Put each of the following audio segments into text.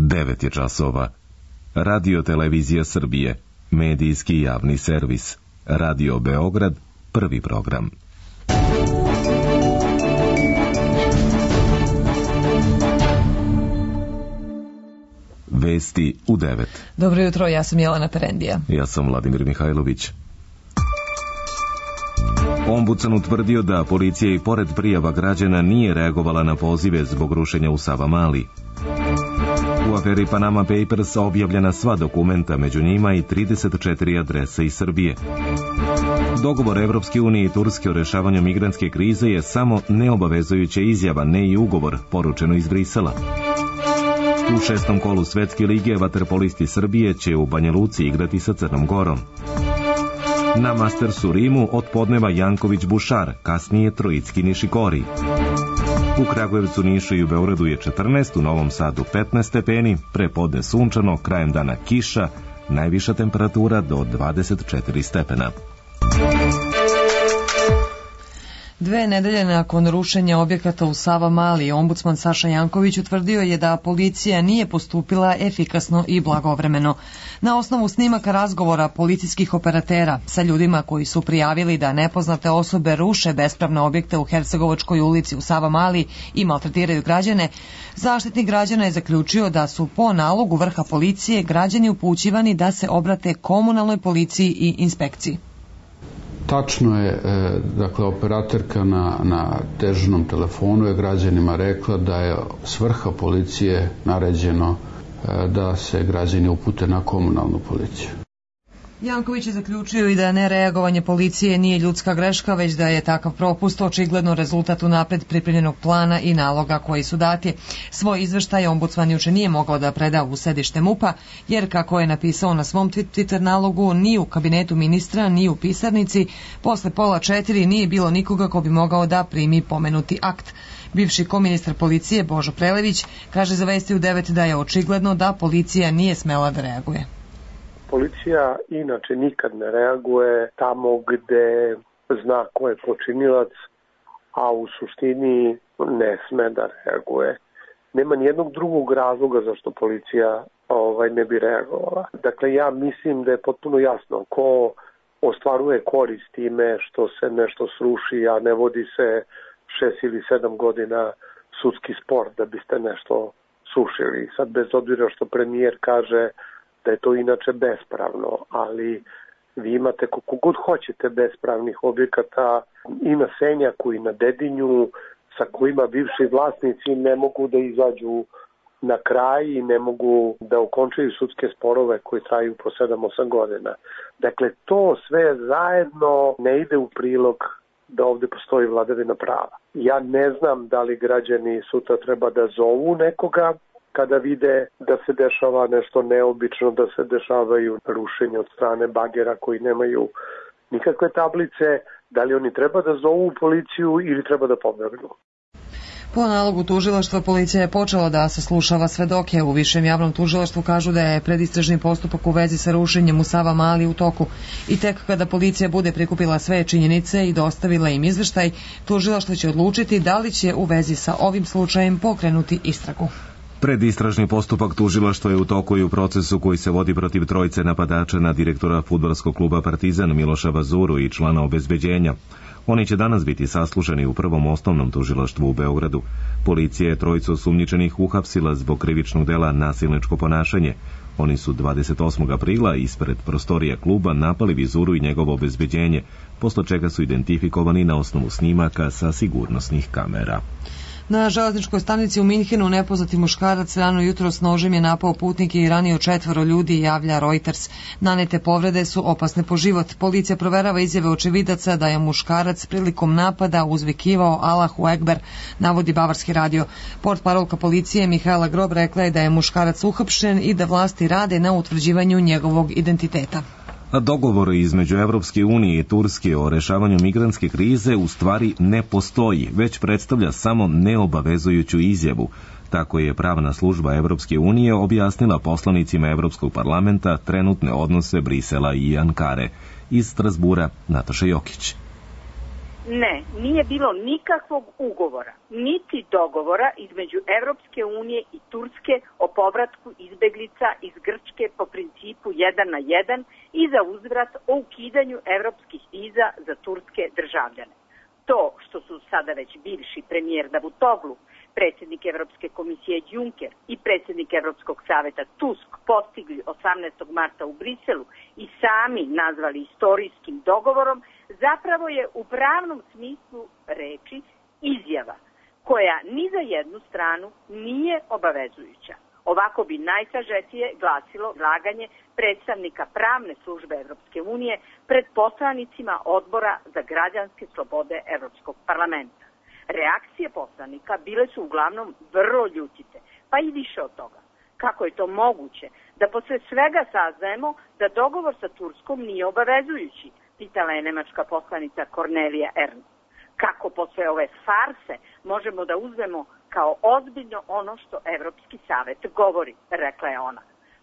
9 je časova. Radio Televizija Srbije, medijski javni servis. Radio Beograd, prvi program. Vesti u 9. Dobro jutro, ja sam Jelena Perendija. Ja sam Vladimir Mihajlović. Ombudsman utvrdio da policija i pored prijava građana nije reagovala na pozive zbog rušenja u Savamali. U aferi Panama Papers objavljena sva dokumenta, među njima i 34 adrese iz Srbije. Dogovor Evropske unije i Turske o rešavanju migrantske krize je samo neobavezujuća izjava, ne i ugovor, poručeno iz Brisela. U 6. kolu Svetske lige vaterpolisti Srbije će u Banja Luci igrati sa Crnom Gorom. Na Mastersu Rimu od podneva Janković Bušar, kasnije Trojicki Nišikori. U Kragujevcu, Nišu i u Beogradu je 14, u Novom Sadu 15 stepeni, prepodne sunčano, krajem dana kiša, najviša temperatura do 24 stepena. 2 nedelje nakon rušenja objekata u Savamali, ombudsman Saša Janković utvrdio je da policija nije postupila efikasno i blagovremeno. Na osnovu snimaka razgovora policijskih operatera sa ljudima koji su prijavili da nepoznate osobe ruše bespravne objekte u Hercegovačkoj ulici u Savamali i maltretiraju građane, Zaštitnik građana je zaključio da su po nalogu vrha policije građani upućivani da se obrate komunalnoj policiji i inspekciji. Tačno je, dakle, operatorka na dežurnom telefonu je građanima rekla da je s vrha policije naređeno da se građani upute na komunalnu policiju. Janković je zaključio i da nereagovanje policije nije ljudska greška, već da je takav propust očigledno rezultat unapred pripremljenog plana i naloga koji su dati. Svoj izveštaj ombudsman juče nije mogao da preda u sedište MUP-a, jer kako je napisao na svom Twitter nalogu, ni u kabinetu ministra, ni u pisarnici, posle 3:30 nije bilo nikoga ko bi mogao da primi pomenuti akt. Bivši koministar policije Božo Prelević kaže za Vesti u 9 da je očigledno da policija nije smela da reaguje. Policija inače nikad ne reaguje tamo gde zna ko je počinilac, a u suštini ne sme da reaguje. Nema nijednog drugog razloga zašto policija ne bi reagovala. Dakle, ja mislim da je potpuno jasno ko ostvaruje korist time što se nešto sruši, a ne vodi se 6 ili 7 godina sudski spor da biste nešto srušili. Sad, bez obzira što premijer kaže da je to inače bespravno, ali vi imate koliko god hoćete bespravnih objekata i na Senjaku i na Dedinju, sa kojima bivši vlasnici ne mogu da izađu na kraj i ne mogu da okončaju sudske sporove koji traju po 7-8 godina. Dakle, to sve zajedno ne ide u prilog da ovde postoji vladavina prava. Ja ne znam da li građani sutra treba da zovu nekoga kada vide da se dešava nešto neobično, da se dešavaju rušenja od strane bagera koji nemaju nikakve tablice, da li oni treba da zovu policiju ili treba da pobegnu. Po nalogu tužilaštva policija je počela da saslušava svedoke. U višem javnom tužilaštvu kažu da je predistražni postupak u vezi sa rušenjem u Savamali u toku. I tek kada policija bude prikupila sve činjenice i dostavila im izveštaj, tužilaštvo će odlučiti da li će u vezi sa ovim slučajem pokrenuti istragu. Predistražni postupak tužilaštva je u toku i u procesu koji se vodi protiv trojice napadača na direktora fudbalskog kluba Partizan Miloša Vazuru i člana obezbeđenja. Oni će danas biti saslušani u Prvom osnovnom tužilaštvu u Beogradu. Policija je trojicu osumnjičenih uhapsila zbog krivičnog dela nasilničko ponašanje. Oni su 28. aprila ispred prostorija kluba napali Vizuru i njegovo obezbeđenje, posle čega su identifikovani na osnovu snimaka sa sigurnosnih kamera. Na železničkoj stanici u Minhenu nepoznati muškarac rano jutro s nožem je napao putnike i ranio 4 ljudi, javlja Reuters. Nanete povrede su opasne po život. Policija proverava izjave očevidaca da je muškarac prilikom napada uzvikivao Allahu Ekber, navodi Bavarski radio. Portparolka policije Mihajla Grob rekla je da je muškarac uhapšen i da vlasti rade na utvrđivanju njegovog identiteta. A dogovor između Evropske unije i Turske o rešavanju migrantske krize u stvari ne postoji, već predstavlja samo neobavezujuću izjavu. Tako je pravna služba Evropske unije objasnila poslanicima Evropskog parlamenta trenutne odnose Brisela i Ankare. Iz Strasbura, Nataša Jokić. Ne, nije bilo nikakvog ugovora, niti dogovora između Evropske unije i Turske o povratku izbeglica iz Grčke po principu 1 na 1 i za uzvrat o ukidanju evropskih viza za turske državljane. To što su sada već bivši premijer Davutoglu, predsjednik Evropske komisije Juncker i predsjednik Evropskog saveta Tusk postigli 18. marta u Briselu i sami nazvali istorijskim dogovorom, zapravo je u pravnom smislu reči izjava koja ni za jednu stranu nije obavezujuća. Ovako bi najsažetije glasilo izlaganje predstavnika pravne službe Evropske unije pred poslanicima Odbora za građanske slobode Evropskog parlamenta. Reakcije poslanika bile su uglavnom vrlo ljutite, pa i više od toga. Kako je to moguće da posle svega saznajemo da dogovor sa Turskom nije obavezujući, pitala je nemačka poslanica Cornelia Ernst. Kako posle ove farse možemo da uzmemo kao ozbiljno ono što Evropski savet govori, rekla je ona.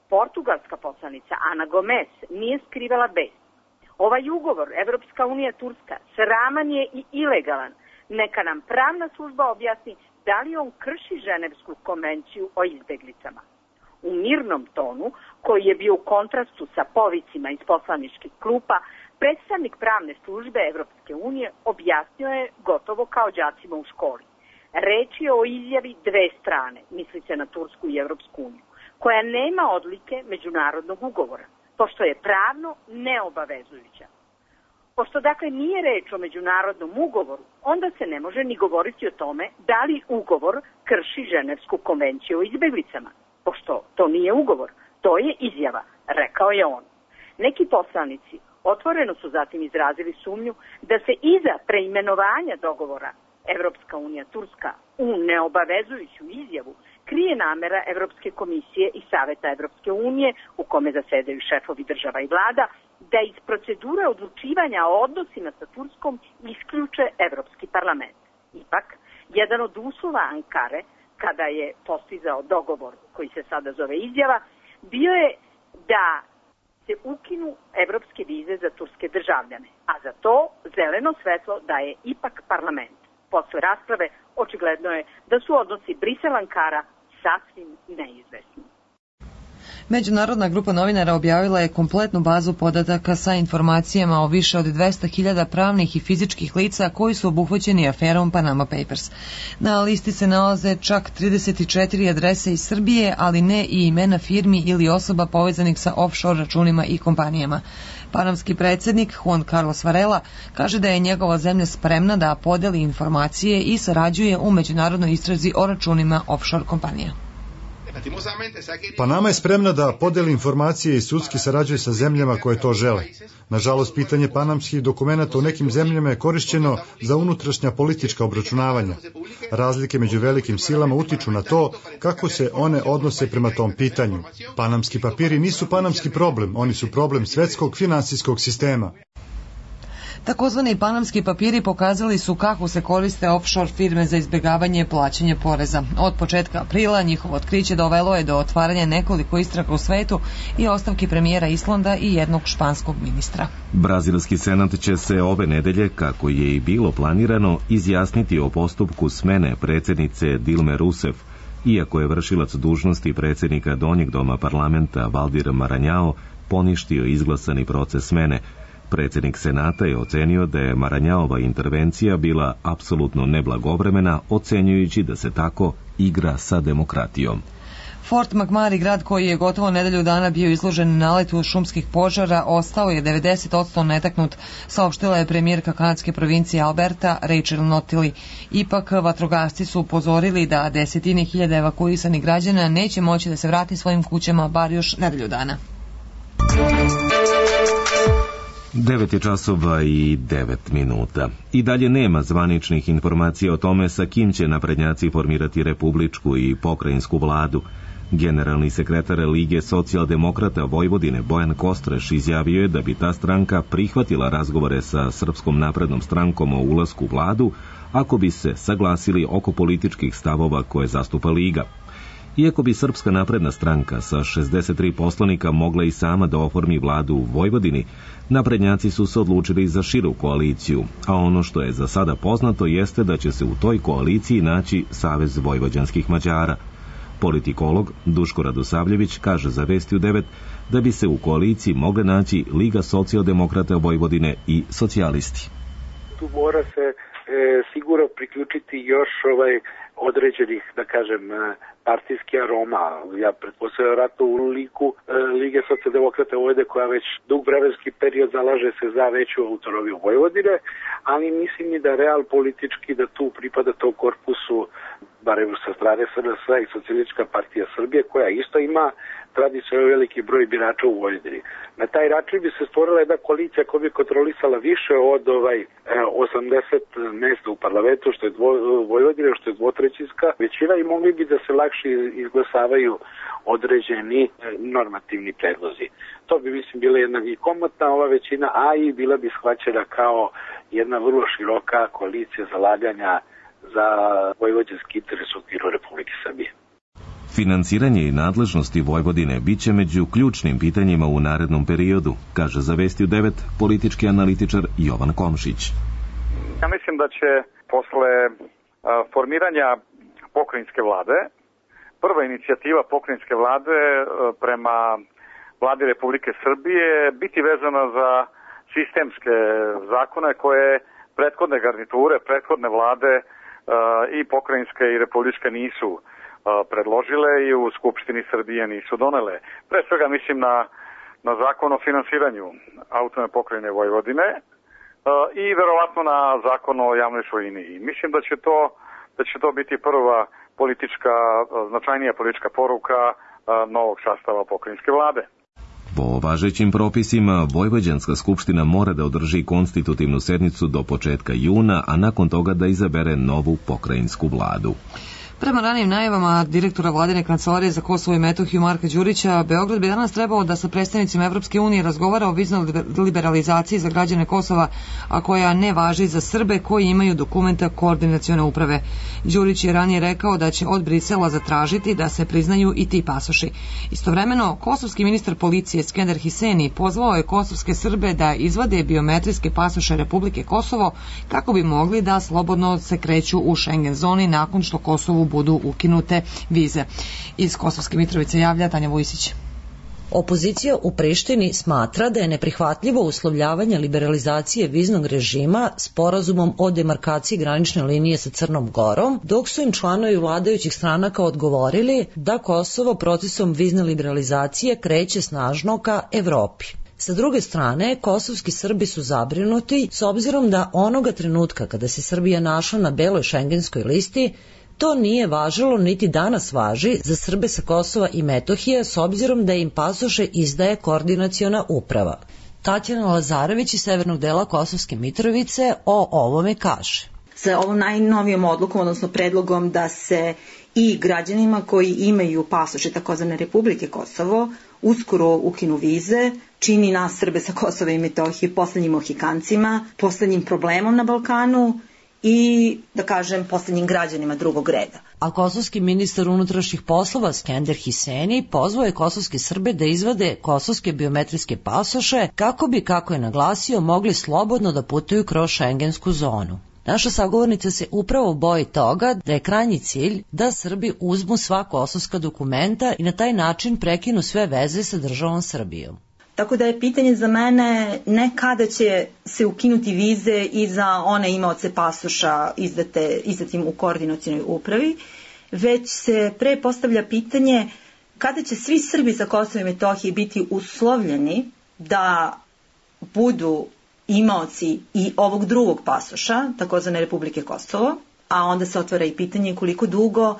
Portugalska poslanica Ana Gomez nije skrivala bes. Ovaj ugovor Evropska unija Turska sraman je i ilegalan. Neka nam pravna služba objasni da li on krši Ženevsku konvenciju o izbeglicama. U mirnom tonu, koji je bio u kontrastu sa povicima iz poslaničkih klupa, predstavnik pravne službe Evropske unije objasnio je gotovo kao đacima u školi. Reč je o izjavi dve strane, misli se na Tursku i Evropsku uniju, koja nema odlike međunarodnog ugovora, pošto je pravno neobavezujuća. Pošto dakle nije reč o međunarodnom ugovoru, onda se ne može ni govoriti o tome da li ugovor krši Ženevsku konvenciju o izbeglicama, pošto to nije ugovor, to je izjava, rekao je on. Neki poslanici otvoreno su zatim izrazili sumnju da se iza preimenovanja dogovora Evropska unija Turska u neobavezujuću izjavu krije namera Evropske komisije i Saveta Evropske unije, u kome zasedaju šefovi država i vlada, da iz procedure odlučivanja o odnosima sa Turskom isključe Evropski parlament. Ipak, jedan od uslova Ankare, kada je postizao dogovor koji se sada zove izjava, bio je da se ukinu evropske vize za turske državljane, a za to zeleno svetlo daje ipak parlament. Posle rasprave očigledno je da su odnosi Brisel-Ankara sasvim neizvesni. Međunarodna grupa novinara objavila je kompletnu bazu podataka sa informacijama o više od 200.000 pravnih i fizičkih lica koji su obuhvaćeni aferom Panama Papers. Na listi se nalaze čak 34 adrese iz Srbije, ali ne i imena firmi ili osoba povezanih sa offshore računima i kompanijama. Panamski predsjednik Juan Carlos Varela kaže da je njegova zemlja spremna da podeli informacije i sarađuje u međunarodnoj istrazi o računima offshore kompanija. Panama je spremna da podeli informacije i sudski sarađuje sa zemljama koje to žele. Nažalost, pitanje panamskih dokumenata u nekim zemljama je korišćeno za unutrašnja politička obračunavanja. Razlike među velikim silama utiču na to kako se one odnose prema tom pitanju. Panamski papiri nisu panamski problem, oni su problem svetskog finansijskog sistema. Takozvani panamski papiri pokazali su kako se koriste offshore firme za izbjegavanje plaćanja poreza. Od početka aprila njihovo otkriće dovelo je do otvaranja nekoliko istraga u svetu i ostavki premijera Islanda i jednog španskog ministra. Brazilski senat će se ove nedelje, kako je i bilo planirano, izjasniti o postupku smene predsjednice Dilme Rousseff, iako je vršilac dužnosti predsjednika donjeg doma parlamenta Valdir Maranhão poništio izglasani proces smene. Predsjednik senata je ocenio da je Maranhãova intervencija bila apsolutno neblagovremena, ocenjujući da se tako igra sa demokratijom. Fort McMurray, grad koji je gotovo nedelju dana bio izložen naletu šumskih požara, ostao je 90% netaknut, saopštila je premijerka kanadske provincije Alberta Rachel Notley. Ipak, vatrogasci su upozorili da desetine hiljada evakuisanih građana neće moći da se vrati svojim kućama bar još nedelju dana. 9:09. I dalje nema zvaničnih informacija o tome sa kim će naprednjaci formirati republičku i pokrajinsku vladu. Generalni sekretar Lige socijaldemokrata Vojvodine Bojan Kostreš izjavio je da bi ta stranka prihvatila razgovore sa Srpskom naprednom strankom o ulasku u vladu ako bi se saglasili oko političkih stavova koje zastupa Liga. Iako bi Srpska napredna stranka sa 63 poslanika mogla i sama da oformi vladu u Vojvodini, naprednjaci su se odlučili za širu koaliciju, a ono što je za sada poznato jeste da će se u toj koaliciji naći Savez vojvođanskih Mađara. Politikolog Duško Radosavljević kaže za Vesti u 9 da bi se u koaliciji mogle naći Liga socijaldemokrata Vojvodine i socijalisti. Tu mora se sigurno priključiti još određenih, da kažem, partijskih aroma. Ja pretpostavljam vjerojatno u liku Lige socijaldemokrata Vojvodine koja već dug vremenski period zalaže se za veću autonomiju Vojvodine, ali mislim i da real politički da tu pripada tom korpusu, barem sa strane SNS i Socijalistička partija Srbije, koja isto ima tradicionalno veliki broj birača u Vojvodini. Na taj način bi se stvorila jedna koalicija koja bi kontrolisala više od 80 mesta u parlamentu, što je Vojvodina, što je dvotrećinska većina, i mogli bi da se lakše izglasavaju određeni normativni predlozi. To bi, mislim, bila jedna i komotna ova većina, a i bila bi shvaćena kao jedna vrlo široka koalicija zalaganja za vojvođanski interes u okviru Republike Srbije. Finansiranje i nadležnosti Vojvodine biće među ključnim pitanjima u narednom periodu, kaže za Vesti u 9 politički analitičar Jovan Komšić. Ja mislim da će posle formiranja pokrajinske vlade, prva inicijativa pokrajinske vlade prema vladi Republike Srbije biti vezana za sistemske zakone koje prethodne garniture, prethodne vlade i pokrajinske i republičke nisu predložile i u Skupštini Srbije nisu donele. Pre svega mislim na zakon o finansiranju autonomne pokrajine Vojvodine i verovatno na zakon o javnoj svojini. I mislim da će to biti prva značajnija politička poruka novog sastava pokrajinske vlade. Po važećim propisima, Vojvođanska skupština mora da održi konstitutivnu sednicu do početka juna, a nakon toga da izabere novu pokrajinsku vladu. Prema ranijim najavama direktora vladine kancelarije za Kosovo i Metohiju Marka Đurića, Beograd bi danas trebao da sa predstavnicima Evropske unije razgovara o viznoj liberalizaciji za građane Kosova, a koja ne važi za Srbe koji imaju dokumenta koordinacione uprave. Đurić je ranije rekao da će od Brisela zatražiti da se priznaju i ti pasoši. Istovremeno, kosovski ministar policije Skender Hiseni pozvao je kosovske Srbe da izvade biometrijske pasoše Republike Kosovo kako bi mogli da slobodno se kreću u Schengen zoni nakon što Kosovu budu ukinute vize. Iz Kosovske Mitrovice javlja Tanja Vujsić. Opozicija u Prištini smatra da je neprihvatljivo uslovljavanje liberalizacije viznog režima sporazumom o demarkaciji granične linije sa Crnom Gorom, dok su im članovi vladajućih stranaka odgovorili da Kosovo procesom vizne liberalizacije kreće snažno ka Evropi. Sa druge strane, kosovski Srbi su zabrinuti s obzirom da onoga trenutka kada se Srbija našla na beloj šengenskoj listi, to nije važilo niti danas važi za Srbe sa Kosova i Metohije s obzirom da im pasoše izdaje koordinaciona uprava. Tatjana Lazarević iz severnog dela Kosovske Mitrovice o ovome kaže. Sa ovom najnovijom odlukom, odnosno predlogom da se i građanima koji imaju pasoše takozvane Republike Kosovo uskoro ukinu vize, čini nas Srbe sa Kosova i Metohije poslednjim Mohikancima, poslednjim problemom na Balkanu i, da kažem, poslednjim građanima drugog reda. A kosovski ministar unutrašnjih poslova Skender Hiseni pozvao je kosovske Srbe da izvade kosovske biometrijske pasoše kako bi, kako je naglasio, mogli slobodno da putuju kroz šengensku zonu. Naša sagovornica se upravo boji toga da je krajnji cilj da Srbi uzmu sva kosovska dokumenta i na taj način prekinu sve veze sa državom Srbijom. Tako da je pitanje za mene ne kada će se ukinuti vize i za one imaoce pasoša izdatim u koordinacionoj upravi, već se pre postavlja pitanje kada će svi Srbi sa Kosova i Metohije biti uslovljeni da budu imaoci i ovog drugog pasoša, takozvane Republike Kosovo, a onda se otvara i pitanje koliko dugo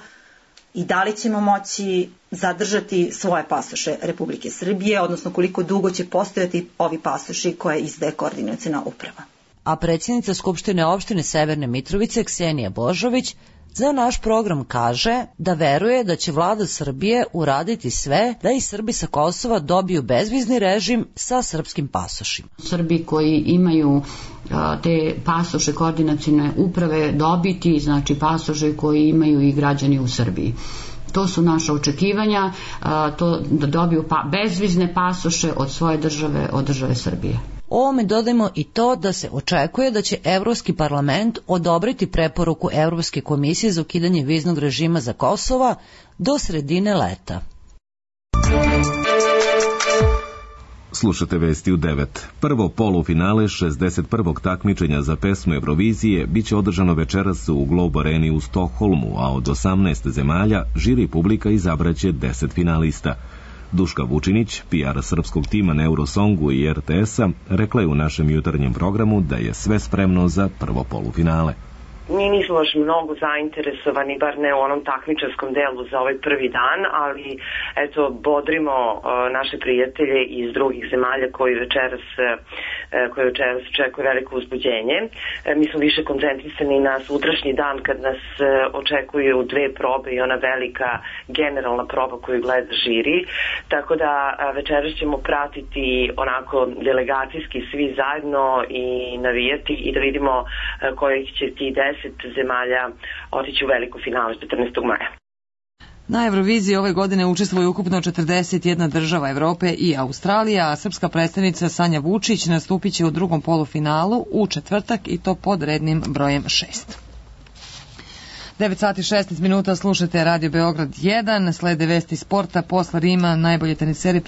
i da li ćemo moći zadržati svoje pasoše Republike Srbije, odnosno koliko dugo će postojati ovi pasoši koje izdaje koordinaciona uprava. A predsjednica Skupštine opštine Severne Mitrovice Ksenija Božović za naš program kaže da veruje da će vlada Srbije uraditi sve da i Srbi sa Kosova dobiju bezvizni režim sa srpskim pasošima. Srbi koji imaju te pasoše koordinacione uprave dobiti, znači pasoše koji imaju i građani u Srbiji. To su naša očekivanja, to da dobiju bezvizne pasoše od svoje države, od države Srbije. Ovome dodajmo i to da se očekuje da će Evropski parlament odobriti preporuku Evropske komisije za ukidanje viznog režima za Kosova do sredine leta. Slušate vesti u 9. Prvo polufinale 61. takmičenja za pesmu Eurovizije biće održano večeras u Globe Areni u Stokholmu, a od 18 zemalja žiri publika izabraće 10 finalista. Duška Vučinić, PR srpskog tima na Eurosongu i RTS-a, rekla je u našem jutarnjem programu da je sve spremno za prvo polufinale. Mi nismo baš mnogo zainteresovani, bar ne u onom takmičarskom delu za ovaj prvi dan, ali eto, bodrimo naše prijatelje iz drugih zemalja koji večeras očekuje veliko uzbuđenje. Mi smo više koncentrisani na sutrašnji dan kad nas očekuju dve probe i ona velika generalna proba koju gleda žiri, tako da večeras ćemo pratiti onako delegacijski svi zajedno i navijati i da vidimo kojih će ti 10 zemalja otići u veliko finale 14. maja. Na Euroviziji ove godine učestvuje ukupno 41 država Evrope i Australija, a srpska predstavnica Sanja Vučić nastupit će u drugom polufinalu u četvrtak i to pod rednim brojem 6. 9 sati 16 minuta, slušate Radio Beograd 1, slede vesti sporta, posle Rima najbolji teniseri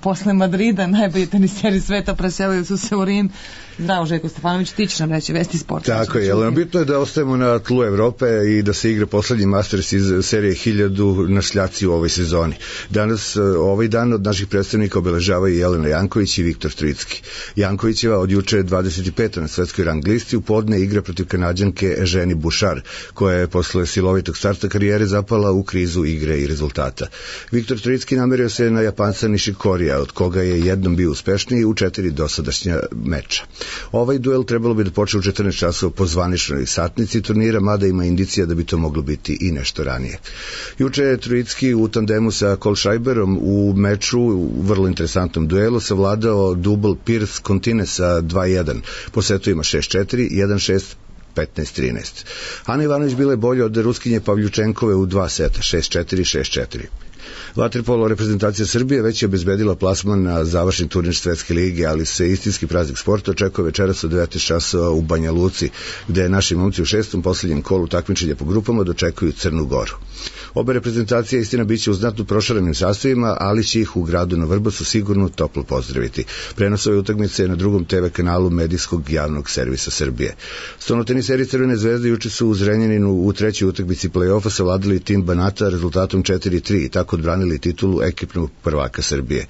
posle Madrida najbolji teniseri sveta preselili su se u Rim. Zdravo, Željko Stefanović, ti ćeš nam reći vesti sporta. Tako je, ali bitno je da ostajemo na tlu Evrope i da se igra poslednji Masters iz serije 1000 na šljaci u ovoj sezoni. Danas, ovaj dan od naših predstavnika obeležavaju Jelena Janković i Viktor Trojicki. Jankovićeva od juče je 25. na svetskoj rang listi, u podne igra protiv Kanađanke Eugenie Bouchard, koja je posle silovitog starta karijere zapala u krizu igre i rezultata. Viktor Trojicki namerio se na Japanca Nishikorija, od koga je jednom bio uspešniji u 4 dosadašnja meča. Ovaj duel trebalo bi da počne u 14 časova po zvaničnoj satnici turnira, mada ima indicija da bi to moglo biti i nešto ranije. Juče je Trojicki u tandemu sa Kohlschreiberom u meču, u vrlo interesantnom duelu, savladao dubl Pierce-Contine sa 2-1. Po setu ima 6-4, 1-6, 15-13. Ana Ivanović bila je bolja od Ruskinje Pavljučenkove u 2 seta, 6-4, 6-4. Vaterpolo reprezentacija Srbije već je obezbedila plasman na završni turnir Svetske lige, ali se istinski praznik sporta očekuje večeras od 19 časova u Banja Luci, gde naši momci u 6. posljednjem kolu takmičenja po grupama dočekuju Crnu Goru. Obe reprezentacije istina biće u znatno prošarenim sastavima, ali će ih u gradu na Vrbasu sigurno toplo pozdraviti. Prenos ove utakmice je na drugom TV kanalu medijskog javnog servisa Srbije. Stonoteniseri Crvene zvezde juče su u Zrenjaninu u trećoj utakmici play-offa savladali tim Banata rezultatom 4-3 i tako odbranili titulu ekipnog prvaka Srbije.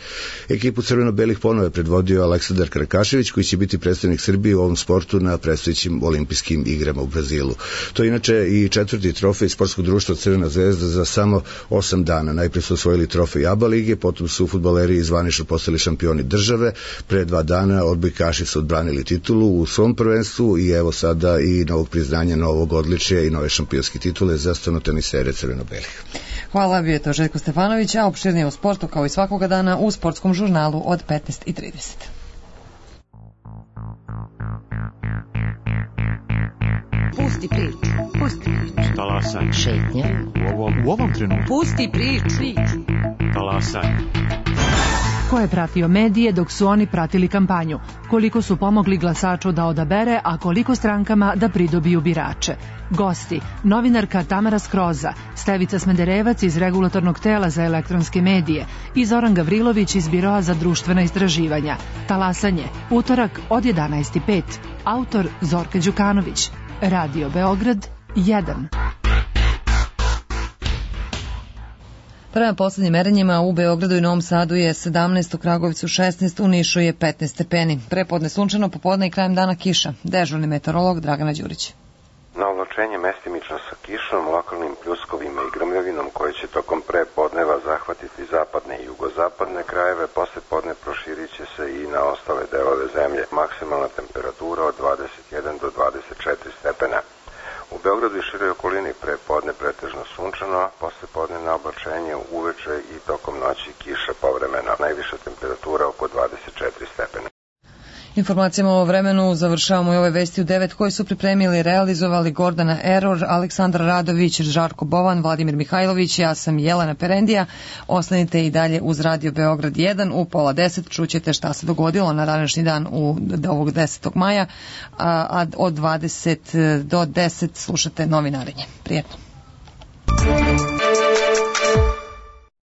Ekipu crveno-belih ponovo je predvodio Aleksandar Karakašević, koji će biti predstavnik Srbije u ovom sportu na predstojećim olimpijskim igrama u Brazilu. To je inače i četvrti trofej sportskog društva Crvena zvezda za samo 8 dana. Najprije su osvojili trofej ABA lige, potom su fudbaleri zvanično postali šampioni države, pre 2 dana odbojkaši su odbranili titulu u svom prvenstvu i evo sada i novog priznanja, novog odličja i nove šampionske titule za stonotenisere crveno-belih. Hvala, bio je to Željko Stefanović, a opširnije o sportu kao i svakoga dana u sportskom žurnalu od 15:30. Pusti priču. Pusti priču. Talasaj. Šetnja. U ovom trenutku. Pusti priču. Talasaj. Ko je pratio medije dok su oni pratili kampanju? Koliko su pomogli glasaču da odabere, a koliko strankama da pridobiju birače? Gosti, novinarka Tamara Skroza, Stevica Smederevac iz Regulatornog tela za elektronske medije i Zoran Gavrilović iz Biroa za društvena istraživanja. Talasanje, utorak od 11:05. Autor Zorka Đukanović. Radio Beograd 1. Prema poslednjim merenjima u Beogradu i Novom Sadu je 17, u Kragujevcu 16, u Nišu je 15 stepeni. Prepodne sunčano, popodne i krajem dana kiša. Dežurni meteorolog Dragana Đurić. Na oblačenje mestimično sa kišom, lokalnim pljuskovima i grmljavinom koje će tokom prepodneva zahvatiti zapadne i jugozapadne krajeve, posle podne proširit će se i na ostale delove zemlje. Maksimalna temperatura od 21 do 24 stepena. U Beogradu i široj okolini prepodne pretežno sunčano, posle podne na oblačenje, uveče i tokom noći kiša povremeno. Najviša temperatura oko 24 stepena. Informacijama o vremenu završavamo i ove vesti u 9 koji su pripremili i realizovali Gordana Eror, Aleksandra Radović, Žarko Bovan, Vladimir Mihajlović, ja sam Jelena Perendija. Ostanite i dalje uz Radio Beograd 1. U 9:30 čućete šta se dogodilo na današnji dan ovog 10. maja, a od 20 do 10 slušate novinarenje. Prijetno.